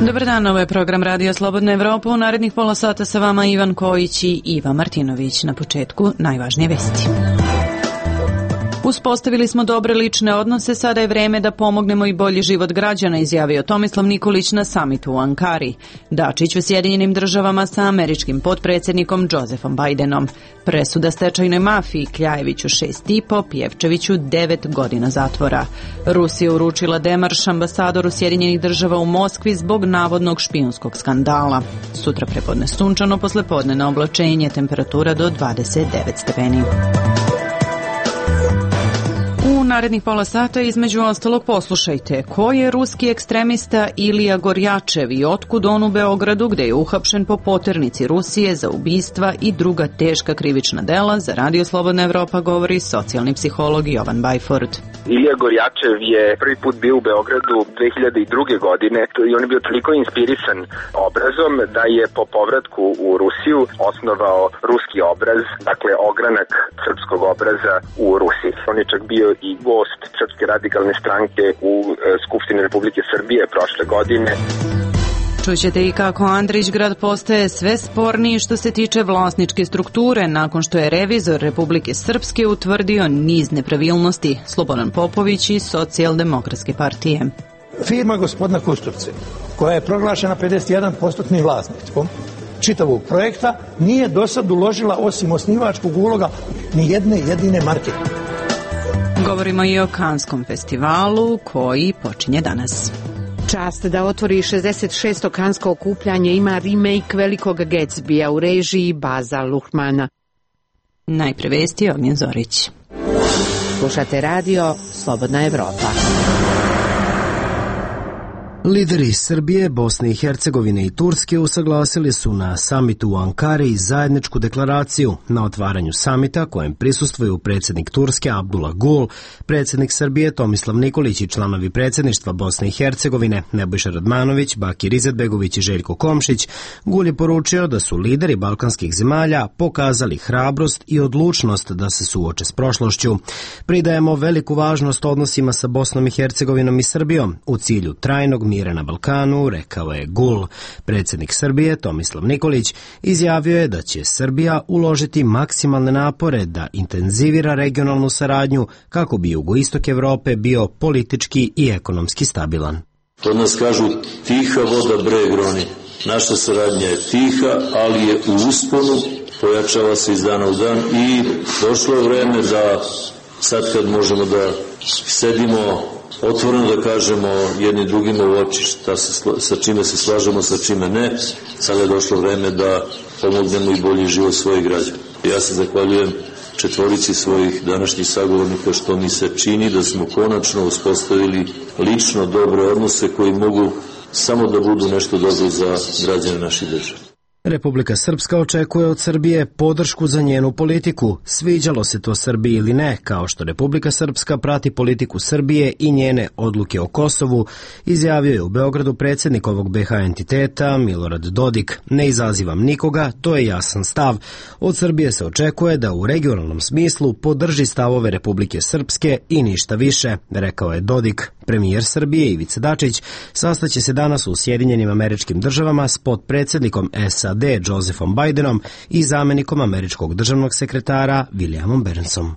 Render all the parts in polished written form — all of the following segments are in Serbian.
Dobar dan, ovo je program Radio Slobodna Evropa. U narednih pola sata sa vama Ivan Kojić i Iva Martinović. Na početku najvažnije vesti. Uspostavili smo dobre lične odnose, sada je vreme da pomognemo i bolji život građana, izjavio Tomislav Nikolić na samitu u Ankari. Dačić u Sjedinjenim državama sa američkim potpredsjednikom Josephom Bidenom. Presuda stečajnoj mafiji, Kljajeviću 6,5, Pjevčeviću 9 godina zatvora. Rusija uručila demarš ambasadoru Sjedinjenih država u Moskvi zbog navodnog špijunskog skandala. Sutra prepodne sunčano, poslepodne na oblačenje, temperatura do 29 stepeni. U narednih pola sata između ostalog poslušajte ko je ruski ekstremista Ilija Gorjačev i otkud on u Beogradu gde je uhapšen po poternici Rusije za ubistva i druga teška krivična dela. Za Radio Slobodna Evropa govori socijalni psiholog Jovan Bajford. Ilija Gorjačev je prvi put bio u Beogradu 2002. godine i on je bio toliko inspirisan obrazom da je po povratku u Rusiju osnovao ruski obraz, dakle ogranak srpskog obraza u Rusiji. On je čak bio i gost Srpske radikalne stranke u Skupštini Republike Srbije prošle godine. Čućete i kako Andrićgrad postaje sve sporniji što se tiče vlasničke strukture nakon što je revizor Republike Srpske utvrdio niz nepravilnosti. Slobodan Popović iz Socijaldemokratske partije. Firma gospodina Kusturce, koja je proglašena 51% vlasništvom čitavog projekta, nije do sad uložila osim osnivačkog uloga ni jedne jedine marke. Govorimo i o Kanskom festivalu koji počinje danas. Čast da otvori 66. kansko okupljanje ima remake velikog Gatsbya u režiji Baza Luhrmana. Najpre vesti Ognjen Zorić. Slušate radio Slobodna Evropa. Lideri Srbije, Bosne i Hercegovine i Turske usaglasili su na samitu u Ankari zajedničku deklaraciju na otvaranju samita kojem prisustvuju predsjednik Turske Abdullah Gul, predsjednik Srbije Tomislav Nikolić i članovi predsjedništva Bosne i Hercegovine Nebojša Radmanović, Bakir Izetbegović i Željko Komšić. Gul je poručio da su lideri balkanskih zemalja pokazali hrabrost i odlučnost da se suoče s prošlošću. Pridajemo veliku važnost odnosima sa Bosnom i Hercegovinom i Srbijom u cilju trajnog mira na Balkanu, rekao je Gul. Predsjednik Srbije Tomislav Nikolić izjavio je da će Srbija uložiti maksimalne napore da intenzivira regionalnu saradnju kako bi jugoistok Evrope bio politički i ekonomski stabilan. Kod nas kažu tiha voda breg roni. Naša saradnja je tiha, ali je u usponu, pojačava se iz dana u dan i došlo je vreme da sad kad možemo da sedimo otvoreno da kažemo jedni drugima u oči sa čime se slažemo, sa čime ne. Sada je došlo vreme da pomognemo i bolji život svojih građana. Ja se zahvaljujem četvorici svojih današnjih sagovornika što mi se čini da smo konačno uspostavili lično dobre odnose koji mogu samo da budu nešto dobro za građane naše države. Republika Srpska očekuje od Srbije podršku za njenu politiku, sviđalo se to Srbiji ili ne, kao što Republika Srpska prati politiku Srbije i njene odluke o Kosovu, izjavio je u Beogradu predsjednik ovog BiH entiteta Milorad Dodik. Ne izazivam nikoga, to je jasan stav. Od Srbije se očekuje da u regionalnom smislu podrži stavove Republike Srpske i ništa više, rekao je Dodik. Premijer Srbije Ivica Dačić sastaće se danas u Sjedinjenim Američkim Državama s potpredsjednikom SAD Josephom Bidenom i zamjenikom američkog državnog sekretara Williamom Burnsom.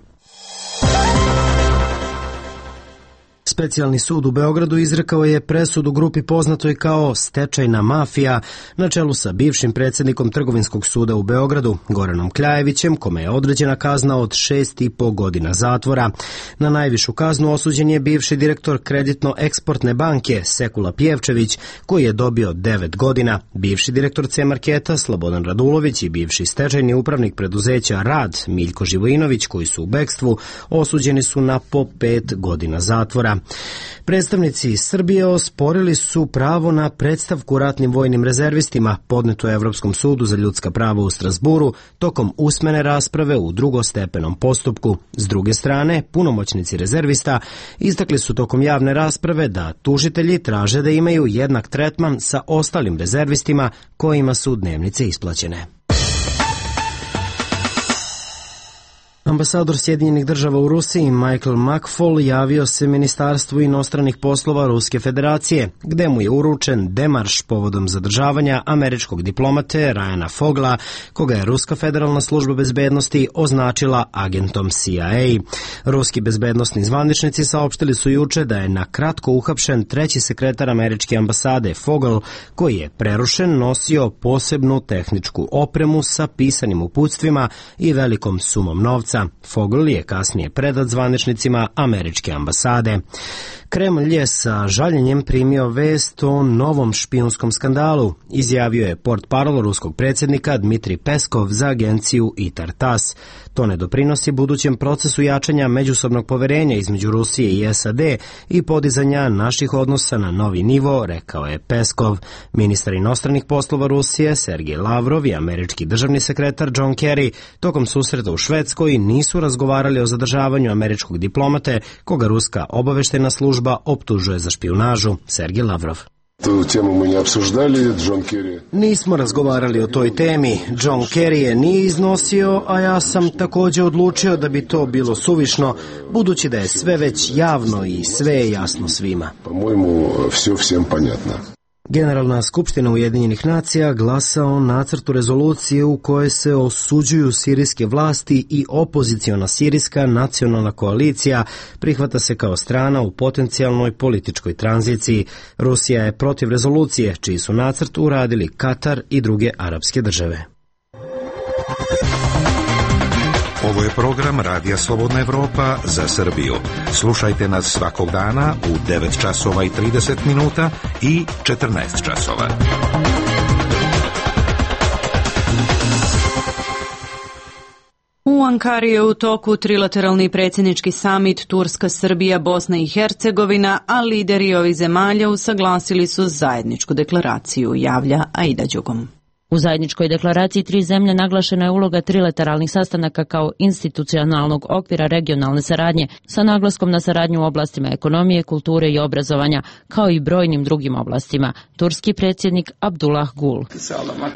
Specijalni sud u Beogradu izrekao je presudu grupi poznatoj kao stečajna mafija na čelu sa bivšim predsjednikom Trgovinskog suda u Beogradu, Goranom Kljajevićem, kome je određena kazna od 6,5 godina zatvora. Na najvišu kaznu osuđen je bivši direktor Kreditno-eksportne banke Sekula Pjevčević, koji je dobio 9 godina. Bivši direktor C-marketa Slobodan Radulović i bivši stečajni upravnik preduzeća Rad Miljko Živojinović, koji su u bekstvu, osuđeni su na po 5 godina zatvora. Predstavnici Srbije osporili su pravo na predstavku ratnim vojnim rezervistima podneto Evropskom sudu za ljudska prava u Strasburu tokom usmene rasprave u drugostepenom postupku. S druge strane, punomoćnici rezervista istakli su tokom javne rasprave da tužitelji traže da imaju jednak tretman sa ostalim rezervistima kojima su dnevnice isplaćene. Ambasador Sjedinjenih država u Rusiji Michael McFaul javio se Ministarstvu inostranih poslova Ruske federacije, gde mu je uručen demarš povodom zadržavanja američkog diplomate Ryana Fogla, koga je Ruska federalna služba bezbednosti označila agentom CIA. Ruski bezbednosni zvaničnici saopštili su juče da je na kratko uhapšen treći sekretar američke ambasade Fogel, koji je prerušen nosio posebnu tehničku opremu sa pisanim uputstvima i velikom sumom novca. Fogel je kasnije predat zvaničnicima američke ambasade. Kremlj je sa žaljenjem primio vest o novom špijunskom skandalu, izjavio je portparol ruskog predsjednika Dmitrij Peskov za agenciju ITAR-TASS. To ne doprinosi budućem procesu jačanja međusobnog poverenja između Rusije i SAD i podizanja naših odnosa na novi nivo, rekao je Peskov. Ministar inostranih poslova Rusije Sergej Lavrov i američki državni sekretar John Kerry tokom susreta u Švedskoj nisu razgovarali o zadržavanju američkog diplomate, koga ruska obaveštajna služba optužuje za špijunažu. Sergej Lavrov. Nismo razgovarali o toj temi. John Kerry je nije iznosio, a ja sam također odlučio da bi to bilo suvišno, budući da je sve već javno i sve je jasno svima. Generalna skupština Ujedinjenih nacija glasa o nacrtu rezolucije u kojoj se osuđuju sirijske vlasti i opoziciona sirijska nacionalna koalicija prihvata se kao strana u potencijalnoj političkoj tranziciji. Rusija je protiv rezolucije, čiji su nacrt uradili Katar i druge arapske države. Ovo je program Radija Slobodna Evropa za Srbiju. Slušajte nas svakog dana u 9 časova i 30 minuta i 14 časova. U Ankari je u toku trilateralni predsjednički samit Turska, Srbija, Bosna i Hercegovina, a lideri ovih zemalja usaglasili su zajedničku deklaraciju, javlja Aida Đugom. U zajedničkoj deklaraciji tri zemlje naglašena je uloga trilateralnih sastanaka kao institucionalnog okvira regionalne saradnje sa naglaskom na saradnju u oblastima ekonomije, kulture i obrazovanja, kao i brojnim drugim oblastima. Turski predsjednik Abdullah Gul.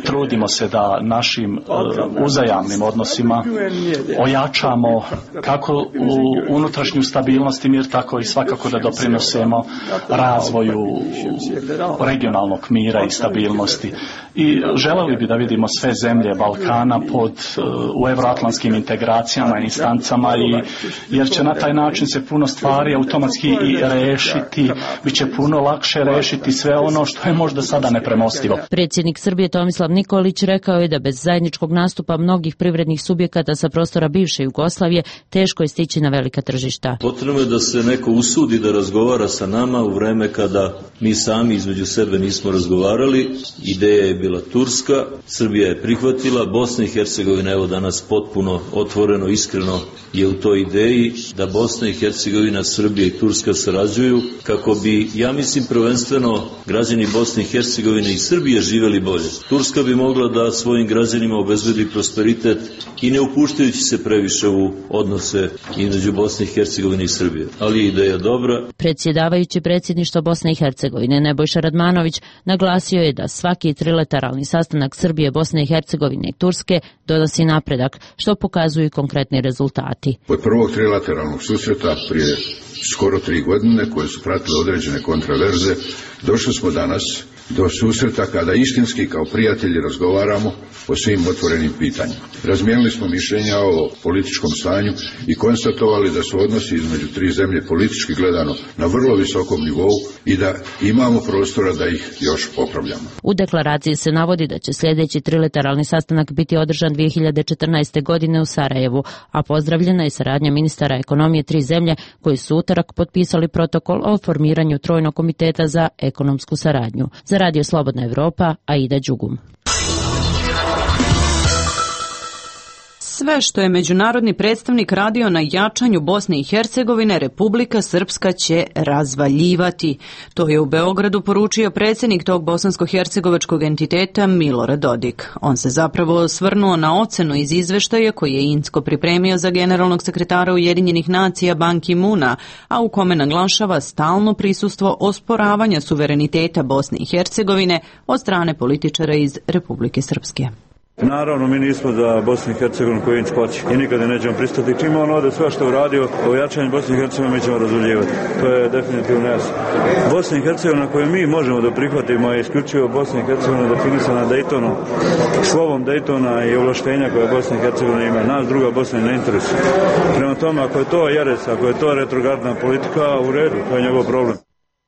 Trudimo se da našim uzajamnim odnosima ojačamo kako unutrašnju stabilnost i mir, tako i svakako da doprinosemo razvoju regionalnog mira i stabilnosti. I želeli bi da vidimo sve zemlje Balkana u euroatlantskim integracijama i instancama, jer će na taj način se puno stvari automatski i rešiti, bit će puno lakše rešiti sve ono što je možda sada nepremostivo. Predsjednik Srbije Tomislav Nikolić rekao je da bez zajedničkog nastupa mnogih privrednih subjekata sa prostora bivše Jugoslavije teško je stići na velika tržišta. Potrebno je da se neko usudi da razgovara sa nama u vreme kada mi sami između sebe nismo razgovarali. Ideja je bila turska, Srbija je prihvatila, Bosna i Hercegovina evo danas potpuno otvoreno, iskreno je u toj ideji da Bosna i Hercegovina, Srbija i Turska sarađuju kako bi, ja mislim, prvenstveno građani Bosne i Hercegovine i Srbije živjeli bolje. Turska bi mogla da svojim građanima obezbedi prosperitet i ne upuštajući se previše u odnose između Bosne i Hercegovine i Srbije. Ali je ideja dobra. Predsjedavajući predsjedništva Bosne i Hercegovine Nebojša Radmanović naglasio je da svaki trilateralni sastanak Srbije, Bosne i Hercegovine i Turske donosi napredak, što pokazuju konkretni rezultati. Od prvog trilateralnog susreta prije skoro 3 godine, koje su pratile određene kontraverze, došli smo danas do susreta kada istinski kao prijatelji razgovaramo o svim otvorenim pitanjima. Razmijenili smo mišljenja o političkom stanju i konstatovali da su odnosi između tri zemlje politički gledano na vrlo visokom nivou i da imamo prostora da ih još popravljamo. U deklaraciji se navodi da će sljedeći trilateralni sastanak biti održan 2014. godine u Sarajevu, a pozdravljena je saradnja ministara ekonomije tri zemlje koji su utorak potpisali protokol o formiranju trojnog komiteta za ekonomsku saradnju. Za Radio Slobodna Evropa, Aida Đugum. Sve što je međunarodni predstavnik radio na jačanju Bosne i Hercegovine, Republika Srpska će razvaljivati. To je u Beogradu poručio predsjednik tog bosansko-hercegovačkog entiteta Milorad Dodik. On se zapravo osvrnuo na ocenu iz izveštaja koji je Incko pripremio za generalnog sekretara Ujedinjenih nacija Ban Ki-moona, a u kome naglašava stalno prisustvo osporavanja suvereniteta Bosne i Hercegovine od strane političara iz Republike Srpske. Naravno, mi nismo za Bosnu i Hercegovinu koji hoće i nikada nećemo pristati. Čim on ovde sve što uradio o jačanju Bosne i Hercegovine, mi ćemo razuljivati. To je definitivno jasno. Bosna i Hercegovina koju mi možemo da prihvatimo je isključivo Bosna i Hercegovina definisana Daytonom, slovom Daytona i ovlaštenja koje Bosna i Hercegovina ima. Nas druga Bosna ne interesuje. Prema tome, ako je to jeres, ako je to retrogradna politika, u redu, to je njegov problem.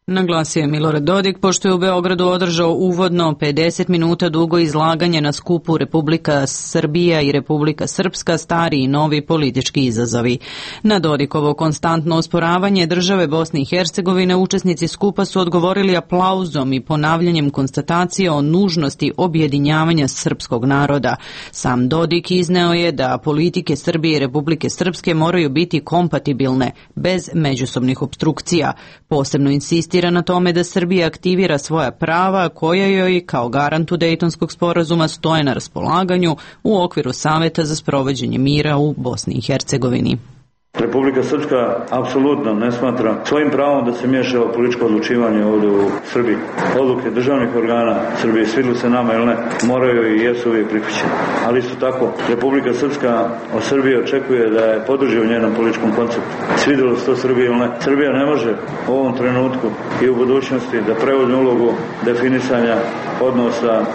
Naglasio je Milorad Dodik, pošto je u Beogradu održao uvodno 50 minuta dugo izlaganje na skupu Republika Srbija i Republika Srpska, stari i novi politički izazovi. Na Dodikovo konstantno osporavanje države Bosne i Hercegovine učesnici skupa su odgovorili aplauzom i ponavljanjem konstatacije o nužnosti objedinjavanja srpskog naroda. Sam Dodik izneo je da politike Srbije i Republike Srpske moraju biti kompatibilne, bez međusobnih opstrukcija. Posebno insistira na tome da Srbija aktivira svoja prava koja joj kao garantu Dejtonskog sporazuma stoje na raspolaganju u okviru Saveta za sprovođenje mira u Bosni i Hercegovini. Republika Srpska apsolutno ne smatra svojim pravom da se miješa u političko odlučivanje ovdje u Srbiji. Odluke državnih organa Srbije, svidlu se nama ili ne, moraju i jesu uvijek prihvaćene. Ali isto tako, Republika Srpska od Srbije očekuje da je podrži u njenom političkom konceptu. Svidjelo se to Srbije ili ne. Srbija ne može u ovom trenutku i u budućnosti da preuzme ulogu definisanja odnosa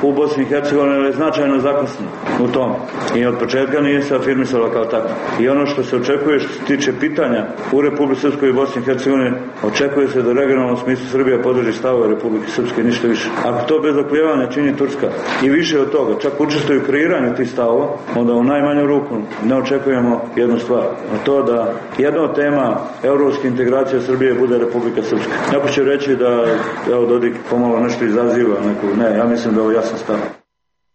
u Bosni i Hercegovini, ali je značajno zakasnila u tom. I od početka nije se afirmisala kao tako. I ono što se očekuje što se tiče pitanja u Republike Srpskoj i Bosni i Hercegovini, očekuje se da u regionalnom smislu Srbija podrži stavove Republike Srpske, ništa više. Ako to bez oklijevanja čini Turska i više od toga, čak učestvuju u kreiranju tih stavova, onda u najmanju ruku ne očekujemo jednu stvar, a to da jedna od tema evropske integracije Srbije bude Republika Srpska. Neko će reći da Dodik pomalo nešto izaziva, ne, ja mislim da ovo jasan stav.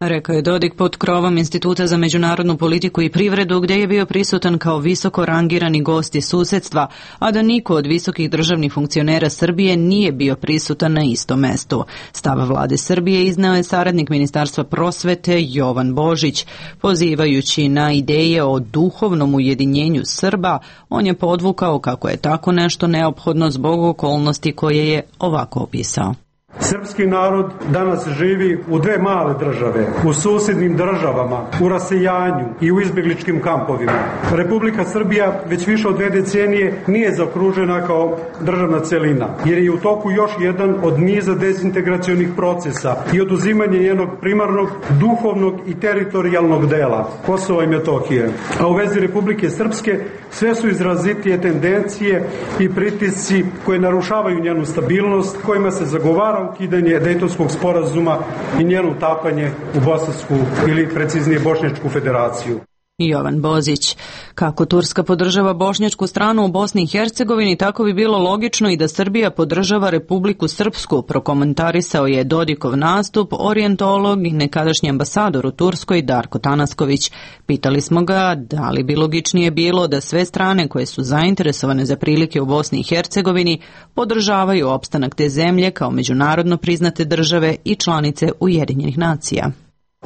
Rekao je Dodik pod krovom Instituta za međunarodnu politiku i privredu, gdje je bio prisutan kao visoko rangirani gost iz susedstva, a da niko od visokih državnih funkcionera Srbije nije bio prisutan na istom mestu. Stav vlade Srbije izneo je saradnik Ministarstva prosvete Jovan Božić. Pozivajući na ideje o duhovnom ujedinjenju Srba, on je podvukao kako je tako nešto neophodno zbog okolnosti koje je ovako opisao. Srpski narod danas živi u dve male države, u susjednim državama, u rasejanju i u izbjegličkim kampovima. Republika Srbija već više od 2 decenije nije zaokružena kao državna celina, jer je u toku još jedan od niza dezintegracionih procesa i oduzimanje njenog primarnog, duhovnog i teritorijalnog dela, Kosova i Metohije. A u vezi Republike Srpske sve su izrazitije tendencije i pritisci koje narušavaju njenu stabilnost, kojima se zagovara ukidanje Dejtonskog sporazuma i njeno utapanje u Bosansku ili preciznije Bošnjačku federaciju. Jovan Bozić. Kako Turska podržava bošnjačku stranu u Bosni i Hercegovini, tako bi bilo logično i da Srbija podržava Republiku Srpsku, prokomentarisao je Dodikov nastup orijentolog i nekadašnji ambasador u Turskoj Darko Tanasković. Pitali smo ga da li bi logičnije bilo da sve strane koje su zainteresovane za prilike u Bosni i Hercegovini podržavaju opstanak te zemlje kao međunarodno priznate države i članice Ujedinjenih nacija.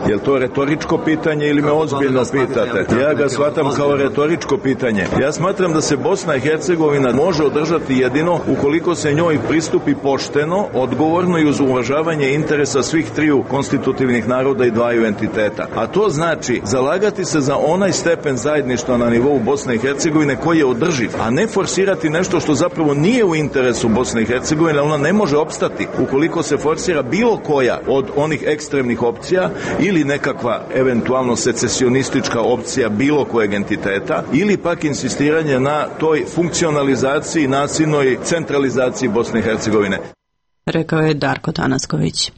Je li to retoričko pitanje ili me ozbiljno pitate? Ja ga shvatam kao retoričko pitanje. Ja smatram da se Bosna i Hercegovina može održati jedino ukoliko se njoj pristupi pošteno, odgovorno i uz uvažavanje interesa svih triju konstitutivnih naroda i dvaju entiteta. A to znači zalagati se za onaj stepen zajedništva na nivou Bosne i Hercegovine koji je održiv, a ne forsirati nešto što zapravo nije u interesu Bosne i Hercegovine, ona ne može opstati ukoliko se forsira bilo koja od onih ekstremnih opcija ili nekakva eventualno secesionistička opcija bilo kojeg entiteta ili pak insistiranje na toj funkcionalizaciji, nasilnoj centralizaciji Bosne i Hercegovine. Rekao je Darko Tanasković.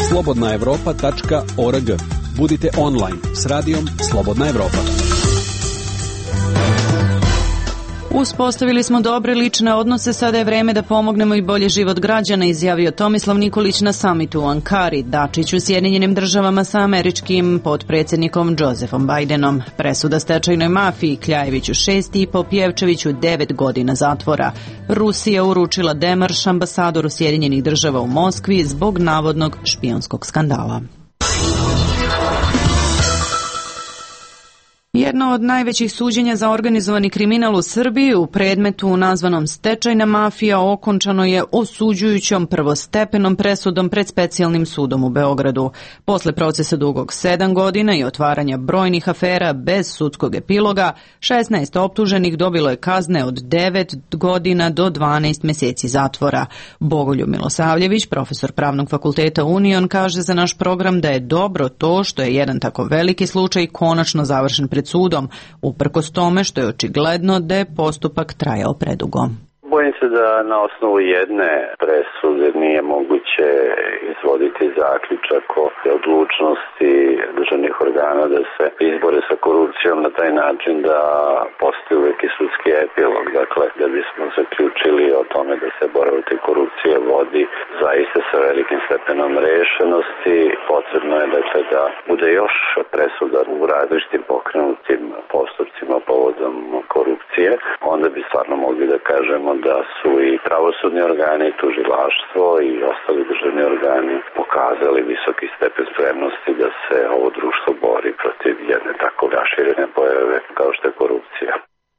slobodnaevropa.org. Budite online s radijom Slobodna Evropa. Uspostavili smo dobre lične odnose, sada je vreme da pomognemo i bolji život građana, izjavio Tomislav Nikolić na samitu u Ankari. Dačić u Sjedinjenim državama sa američkim potpredsjednikom Josefom Bidenom. Presuda stečajnoj mafiji Kljajeviću 6,5, Pjevčeviću 9 godina zatvora. Rusija uručila demarš ambasadoru Sjedinjenih država u Moskvi zbog navodnog špijunskog skandala. Jedno od najvećih suđenja za organizovani kriminal u Srbiji u predmetu nazvanom Stečajna mafija okončano je osuđujućom prvostepenom presudom pred Specijalnim sudom u Beogradu. Posle procesa dugog 7 godina i otvaranja brojnih afera bez sudskog epiloga, 16 optuženih dobilo je kazne od 9 godina do 12 meseci zatvora. Bogoljub Milosavljević, profesor Pravnog fakulteta Union, kaže za naš program da je dobro to što je jedan tako veliki slučaj konačno završen pred sudom, uprkos tome što je očigledno da je postupak trajao predugo. Bojim se da na osnovu jedne presude nije moguće izvoditi zaključak o odlučnosti državnih organa da se izbore sa korupcijom na taj način da postoji uvek i sudski epilog. Dakle, da bismo zaključili o tome da se borba protiv korupcije vodi zaista sa velikim stepenom rešenosti, potrebno je dakle da bude još presuda u različitim pokrenutim postupcima povodom korupcije. Onda bi stvarno mogli da kažemo da su i pravosudni organi, tužilaštvo i ostali državni organi pokazali visoki stepen spremnosti da se ovo društvo bori protiv jedne tako raširene pojave kao što je korupcija.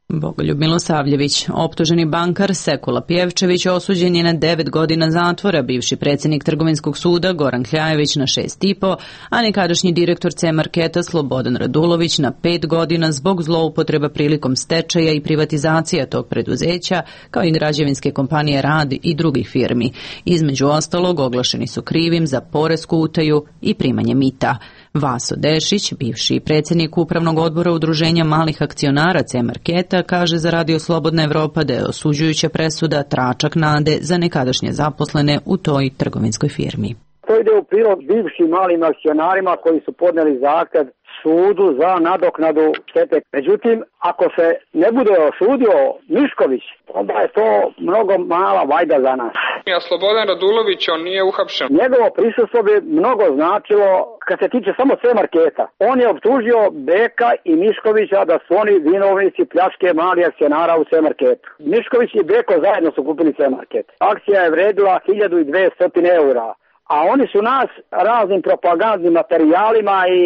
Bogoljub Milosavljević, optuženi bankar Sekula Pjevčević, osuđen je na 9 godina zatvora, bivši predsjednik Trgovinskog suda Goran Kljajević na 6,5, a nekadašnji direktor C-marketa Slobodan Radulović na 5 godina zbog zloupotreba prilikom stečaja i privatizacija tog preduzeća, kao i građevinske kompanije Rad i drugih firmi. Između ostalog, oglašeni su krivim za poresku utaju i primanje mita. Vaso Dešić, bivši predsjednik Upravnog odbora Udruženja malih akcionara C-marketa, kaže za Radio Slobodna Evropa da je osuđujuća presuda tračak nade za nekadašnje zaposlene u toj trgovinskoj firmi. To ide u prilog bivšim malim akcionarima koji su podneli zahtev sudu za nadoknadu štete. Međutim, ako se ne bude osudio Mišković, onda je to mnogo mala vajda za nas. A Slobodan Radulović, on nije uhapšen. Njegovo prisustvo bi mnogo značilo kad se tiče samo C-marketa. On je optužio Beka i Miškovića da su oni vinovnici pljačke malih akcionara u C-marketu. Mišković i Beko zajedno su kupili C-market. Akcija je vredila 1200 eura. A oni su nas raznim propagandnim materijalima i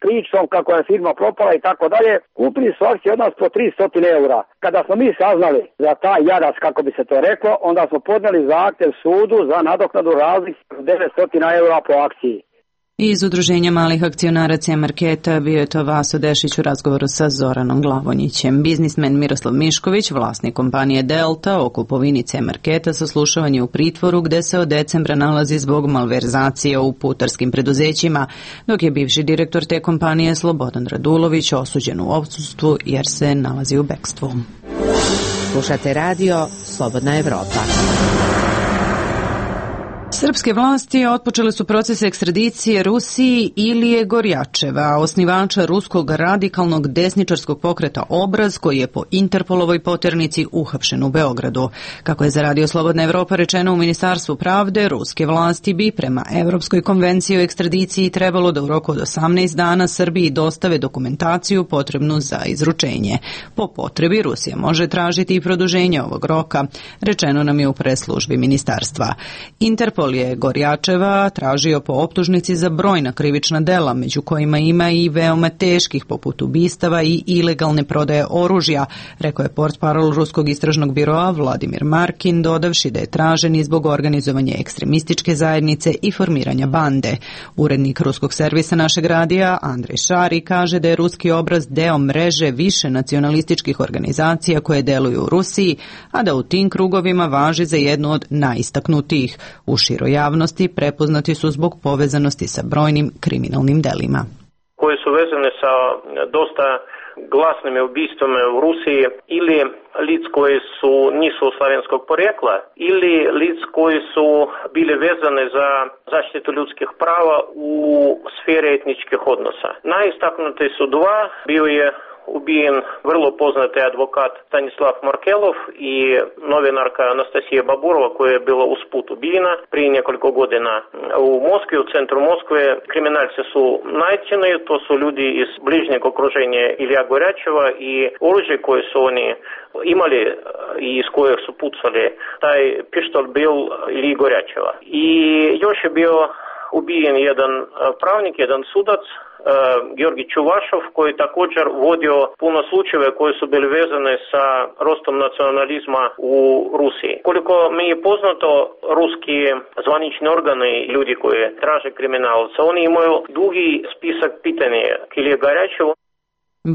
pričom kako je firma propala i tako dalje, kupili su akcije od nas po 300 eura. Kada smo mi saznali za taj jarac, kako bi se to reklo, onda smo podneli zahtev sudu za nadoknadu razlike 900 eura po akciji. Iz Udruženja malih akcionara C-marketa bio je to Vaso Dešić u razgovoru sa Zoranom Glavonjićem. Biznismen Miroslav Mišković, vlasnik kompanije Delta, o kupovini C-marketa saslušavan je u pritvoru gde se od decembra nalazi zbog malverzacije u putarskim preduzećima, dok je bivši direktor te kompanije Slobodan Radulović osuđen u odsustvu jer se nalazi u bekstvu. Slušate radio Slobodna Evropa. Srpske vlasti otpočele su proces ekstradicije Rusiji Ilije Gorjačeva, osnivača ruskog radikalnog desničarskog pokreta Obraz, koji je po Interpolovoj poternici uhapšen u Beogradu. Kako je za Radio Slobodna Evropa rečeno u Ministarstvu pravde, ruske vlasti bi prema Evropskoj konvenciji o ekstradiciji trebalo da u roku od 18 dana Srbiji dostave dokumentaciju potrebnu za izručenje. Po potrebi Rusija može tražiti i produženje ovog roka, rečeno nam je u preslužbi ministarstva. Interpol je Gorjačeva tražio po optužnici za brojna krivična dela, među kojima ima i veoma teških poput ubistava i ilegalne prodaje oružja, rekao je portparol Ruskog istražnog biroa Vladimir Markin, dodavši da je tražen i zbog organizovanja ekstremističke zajednice i formiranja bande. Urednik ruskog servisa našeg radija Andrej Šari kaže da je ruski Obraz deo mreže više nacionalističkih organizacija koje deluju u Rusiji, a da u tim krugovima važi za jednu od najistaknutijih. U široj javnosti prepoznati su zbog povezanosti sa brojnim kriminalnim delima. Koje su vezane sa dosta glasnim ubistvima u Rusiji ili lic koji nisu slavenskog porijekla ili lic koji su bili vezane za zaštitu ljudskih prava u sferi etničkih odnosa. Najistaknuti su dva, bio je ubijen vrlo poznati advokat Stanislav Markelov i novinarka Anastasija Baburova koja je bila usput ubijena prije nekoliko godina u Moskvi, u centru Moskve. Kriminalci su nađeni, to su ljudi iz bližnjeg okruženja Ilija Gorjačeva i oružje koje su oni imali i iz kojeg su pucali, taj pištolj bil Iliji Gorjačeva. I još je bio ubijen jedan pravnik, jedan sudac, Georgi Čuvašov, koji je također vodio puno slučajeve koji su bili vezane sa rostom nacionalizma u Rusiji. Koliko mi je poznato, ruski zvanični organi, ljudi koji traže kriminalca, oni imaju dugi spisak pitanja Kilije Garjačevu.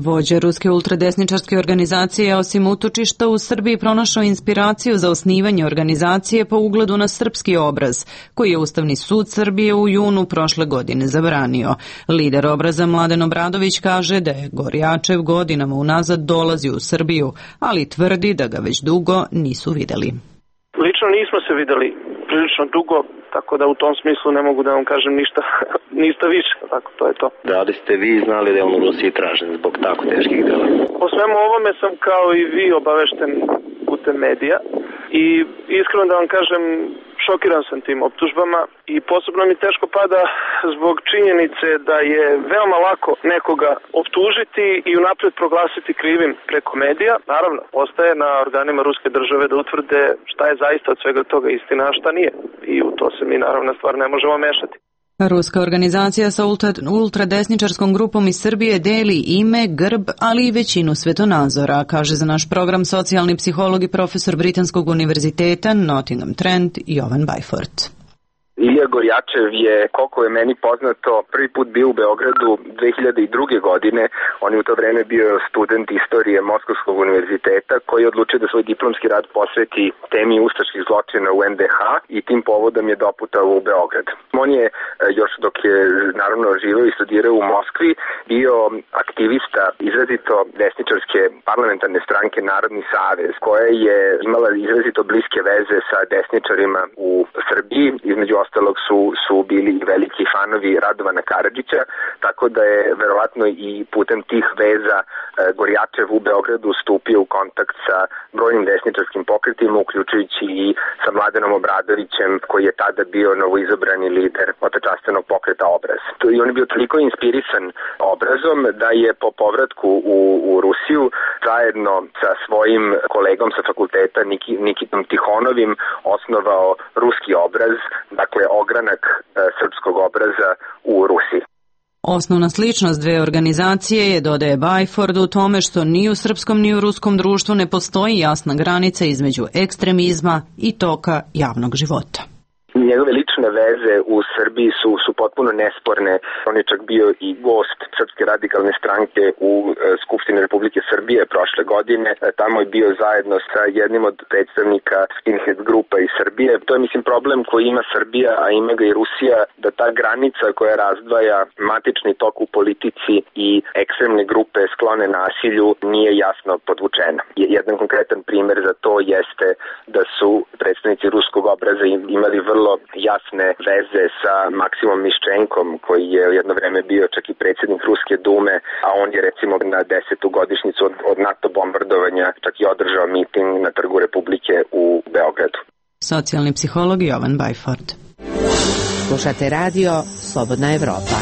Vođa ruske ultradesničarske organizacije osim utočišta u Srbiji pronašao inspiraciju za osnivanje organizacije po ugledu na srpski obraz, koji je Ustavni sud Srbije u junu prošle godine zabranio. Lider obraza Mladen Obradović kaže da je Gorjačev godinama unazad dolazi u Srbiju, ali tvrdi da ga već dugo nisu videli. Lično nismo se videli prilično dugo, tako da u tom smislu ne mogu da vam kažem ništa više, tako to je to. Da li ste vi znali da je on u Rusiji tražen zbog tako teških dela? O svemu ovome sam kao i vi obavešten putem medija i iskreno da vam kažem, šokiran sam tim optužbama i posebno mi teško pada zbog činjenice da je veoma lako nekoga optužiti i unapred proglasiti krivim preko medija. Naravno, ostaje na organima ruske države da utvrde šta je zaista od svega toga istina, a šta nije. I u to se mi naravno stvar ne možemo mešati. Ruska organizacija sa ultradesničarskom grupom iz Srbije deli ime, grb, ali i većinu svetonazora, kaže za naš program socijalni psiholog i profesor Britanskog univerziteta Nottingham Trent Jovan Bajfort. Ilija Gorjačev je, koliko je meni poznato, prvi put bio u Beogradu 2002. godine. On je u to vreme bio student istorije Moskovskog univerziteta koji je odlučio da svoj diplomski rad posveti temi ustaških zločina u NDH i tim povodom je doputao u Beograd. On je, još dok je naravno živeo i studirao u Moskvi, bio aktivista izrazito desničarske parlamentarne stranke Narodni savez, koja je imala izrazito bliske veze sa desničarima u Srbiji, između ostalog su bili i veliki fanovi Radovana Karadžića, tako da je verovatno i putem tih veza Gorjačev u Beogradu stupio u kontakt sa brojnim desničarskim pokretima, uključujući i sa Mladenom Obradovićem, koji je tada bio novoizabrani lider otečastenog pokreta Obraz. I on je bio toliko inspirisan Obrazom da je po povratku u Rusiju zajedno sa svojim kolegom sa fakulteta Nikitom Tihonovim osnovao Ruski Obraz, dakle ogranak srpskog obraza u Rusiji. Osnovna sličnost dve organizacije je, dodaje Bajford, u tome što ni u srpskom ni u ruskom društvu ne postoji jasna granica između ekstremizma i toka javnog života. Njegove lične veze u Srbiji su potpuno nesporne. On je čak bio i gost Srpske radikalne stranke u Skupštini Republike Srbije prošle godine. Tamo je bio zajedno sa jednim od predstavnika skinhead grupa iz Srbije. To je, mislim, problem koji ima Srbija, a ima ga i Rusija, da ta granica koja razdvaja matični tok u politici i ekstremne grupe sklone nasilju nije jasno podvučena. Jedan konkretan primer za to jeste da su predstavnici Ruskog Obraza imali vrlo jasne veze sa Maksimom Miščenkom, koji je jedno vreme bio čak i predsjednik Ruske dume, a on je recimo na 10. godišnjicu od NATO bombardovanja čak i održao miting na Trgu Republike u Beogradu. Socijalni psiholog Jovan Bajford. Slušate radio Slobodna Evropa.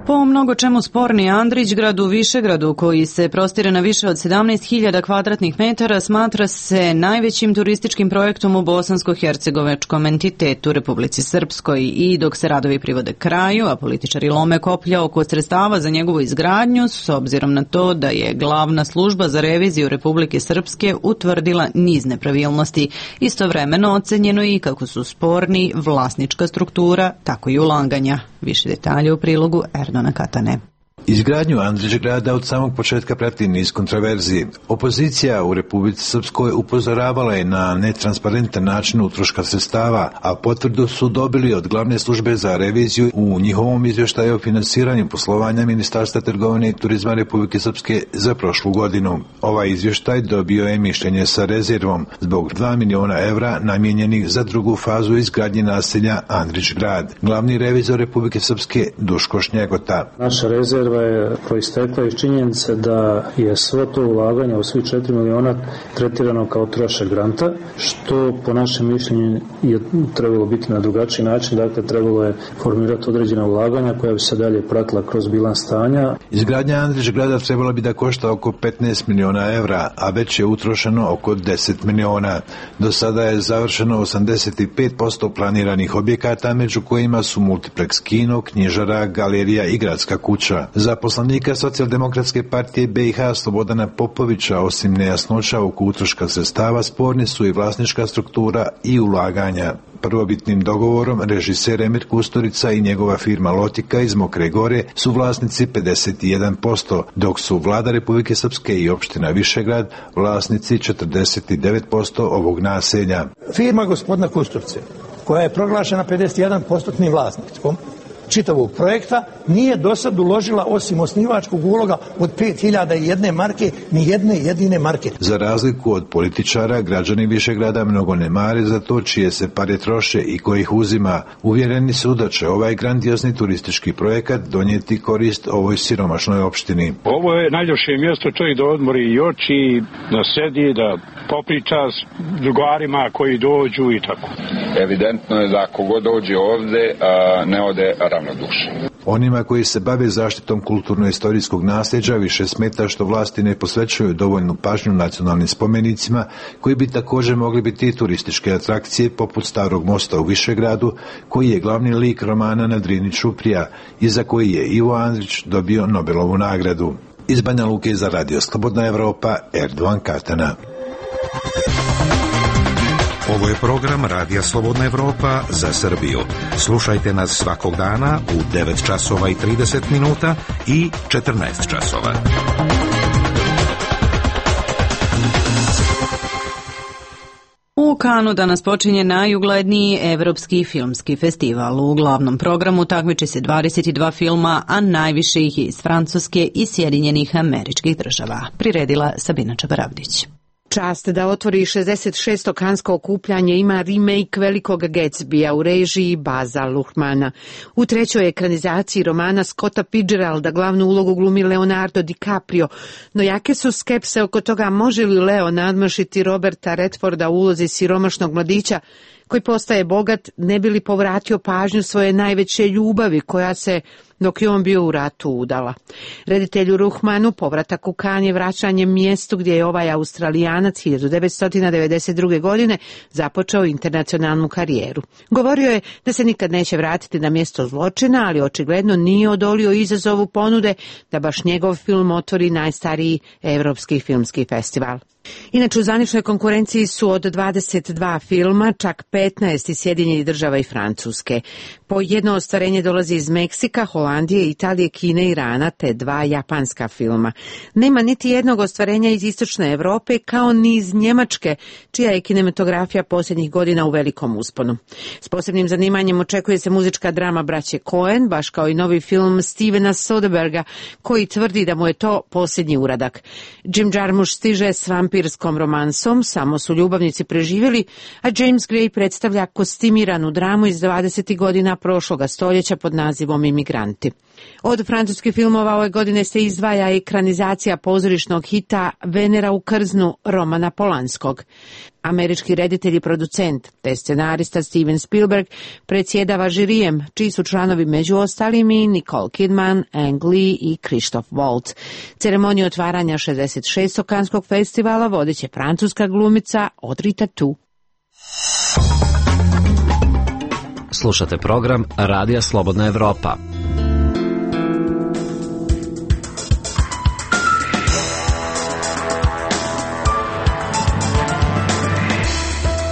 Po mnogo čemu sporni Andrićgrad u Višegradu, koji se prostire na više od 17.000 kvadratnih metara, smatra se najvećim turističkim projektom u bosansko-hercegovačkom entitetu Republici Srpskoj i dok se radovi privode kraju, a političari lome koplja oko sredstava za njegovu izgradnju, s obzirom na to da je glavna služba za reviziju Republike Srpske utvrdila niz nepravilnosti. Istovremeno ocenjeno i kako su sporni vlasnička struktura, tako i ulaganja. Više detalje u prilogu Erdona Katane. Izgradnju Andrićgrada od samog početka prati niz kontroverziji. Opozicija u Republici Srpskoj upozoravala je na netransparentan način utroška sredstava, a potvrdu su dobili od glavne službe za reviziju u njihovom izvještaju o finansiranju poslovanja Ministarstva trgovine i turizma Republike Srpske za prošlu godinu. Ovaj izvještaj dobio je mišljenje sa rezervom zbog 2 miliona evra namijenjenih za drugu fazu izgradnje naselja Andrićgrad. Glavni revizor Republike Srpske Duško Šnjegota. Naša rezerva koja je proistekla iz činjenice da je svo to ulaganje u svih 4 miliona tretirano kao trošak granta, što po našem mišljenju je trebalo biti na drugačiji način. Dakle, trebalo je formirati određena ulaganja koja bi se dalje pratila kroz bilans stanja. Izgradnja Andrić grada trebala bi da košta oko 15 miliona evra, a već je utrošeno oko 10 miliona. Do sada je završeno 85% planiranih objekata, među kojima su multiplex kino, knjižara, galerija i gradska kuća. Za poslanika Socijaldemokratske partije BiH Slobodana Popovića, osim nejasnoća oko utroška sredstava, sporni su i vlasnička struktura i ulaganja. Prvobitnim dogovorom režiser Emir Kusturica i njegova firma Lotika iz Mokre Gore su vlasnici 51%, dok su Vlada Republike Srpske i opština Višegrad vlasnici 49% ovog naselja. Firma gospodina Kusturice, koja je proglašena 51% vlasnikom čitavog projekta, nije do sad uložila osim osnivačkog uloga od 5.001 marke, ni jedne jedine marke. Za razliku od političara, građani Višegrada mnogo ne mare za to čije se pare troše i kojih uzima. Uvjereni su da će ovaj grandiozni turistički projekat donijeti korist ovoj siromašnoj opštini. Ovo je najljepše mjesto čovjek da odmori i oči, da sedi, da popriča s drugarima koji dođu i tako. Evidentno je da kogod dođe ovde ne ode ravnodušan. Onima koji se bave zaštitom kulturno-istorijskog nasljeđa više smeta što vlasti ne posvećuju dovoljnu pažnju nacionalnim spomenicima, koji bi također mogli biti turističke atrakcije poput Starog mosta u Višegradu, koji je glavni lik romana Na Drini čuprija i za koji je Ivo Andrić dobio Nobelovu nagradu. Iz Banja Luke za Radio Slobodna Evropa, Erdovan Katana. Ovo je program Radija Slobodna Evropa za Srbiju. Slušajte nas svakog dana u 9 časova i 30 minuta i 14 časova. U Kanu danas počinje najugledniji evropski filmski festival. U glavnom programu takmiči se 22 filma, a najviše ih je iz Francuske i Sjedinjenih Američkih Država. Priredila Sabina Čabaravdić. Čast da otvori 66. kansko okupljanje ima remake Velikog Gatsbya u režiji Baza Luhrmana. U trećoj ekranizaciji romana Scotta Fitzgeralda glavnu ulogu glumi Leonardo DiCaprio, no jake su skepse oko toga može li Leo nadmašiti Roberta Redforda u ulozi siromašnog mladića koji postaje bogat, ne bi li povratio pažnju svoje najveće ljubavi koja se, dok je on bio u ratu, udala. Reditelju Luhrmanu povratak u Kan je vraćanje mjestu gdje je ovaj Australijanac 1992. godine započeo internacionalnu karijeru. Govorio je da se nikad neće vratiti na mjesto zločina, ali očigledno nije odolio izazovu ponude da baš njegov film otvori najstariji evropski filmski festival. Inače, u zvaničnoj konkurenciji su od 22 filma, čak 15 iz Sjedinjenih Država i Francuske. Po jedno ostvarenje dolazi iz Meksika, Holandije, Italije, Kine, Irana te 2 japanska filma. Nema niti jednog ostvarenja iz Istočne Europe, kao ni iz Njemačke, čija je kinematografija posljednjih godina u velikom usponu. S posebnim zanimanjem očekuje se muzička drama braće Coen, baš kao i novi film Stevena Soderberga, koji tvrdi da mu je to posljednji uradak. Jim Jarmusch stiže s vampirskom romansom, samo su ljubavnici preživjeli, a James Gray predstavlja kostimiranu dramu iz 20. godina prošloga stoljeća pod nazivom Imigranti. Od francuskih filmova ove godine se izdvaja ekranizacija pozorišnog hita Venera u krznu Romana Polanskog. Američki reditelj i producent te scenarista Steven Spielberg predsjedava žirijem, čiji su članovi među ostalim i Nicole Kidman, Ang Lee i Christoph Waltz. Ceremoniju otvaranja 66. kanskog festivala vodit će francuska glumica Audrey Tautou. Slušate program Radija Slobodna Evropa.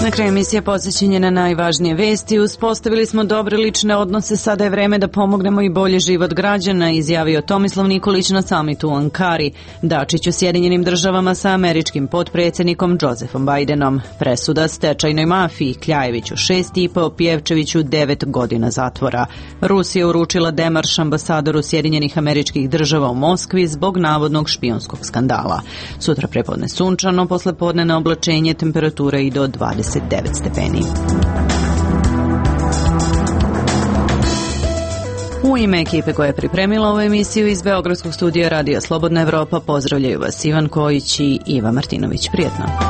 Na kraju emisije podsjećanje na najvažnije vesti. Uspostavili smo dobre lične odnose, sada je vreme da pomognemo i bolji život građana, izjavio Tomislav Nikolić na samitu u Ankari. Dačić u Sjedinjenim Državama sa američkim potpredsjednikom Josefom Bidenom. Presuda stečajnoj mafiji, Kljajeviću 6,5, Pjevčeviću 9 godina zatvora. Rusija uručila demarš ambasadoru Sjedinjenih Američkih Država u Moskvi zbog navodnog špijunskog skandala. Sutra prepodne sunčano, poslepodne na oblačenje, temperatura i do 29 stepeni. U ime ekipe koja je pripremila ovu emisiju iz Beogradskog studija Radija Slobodna Evropa pozdravljaju vas Ivan Kojić i Iva Martinović. Prijetno.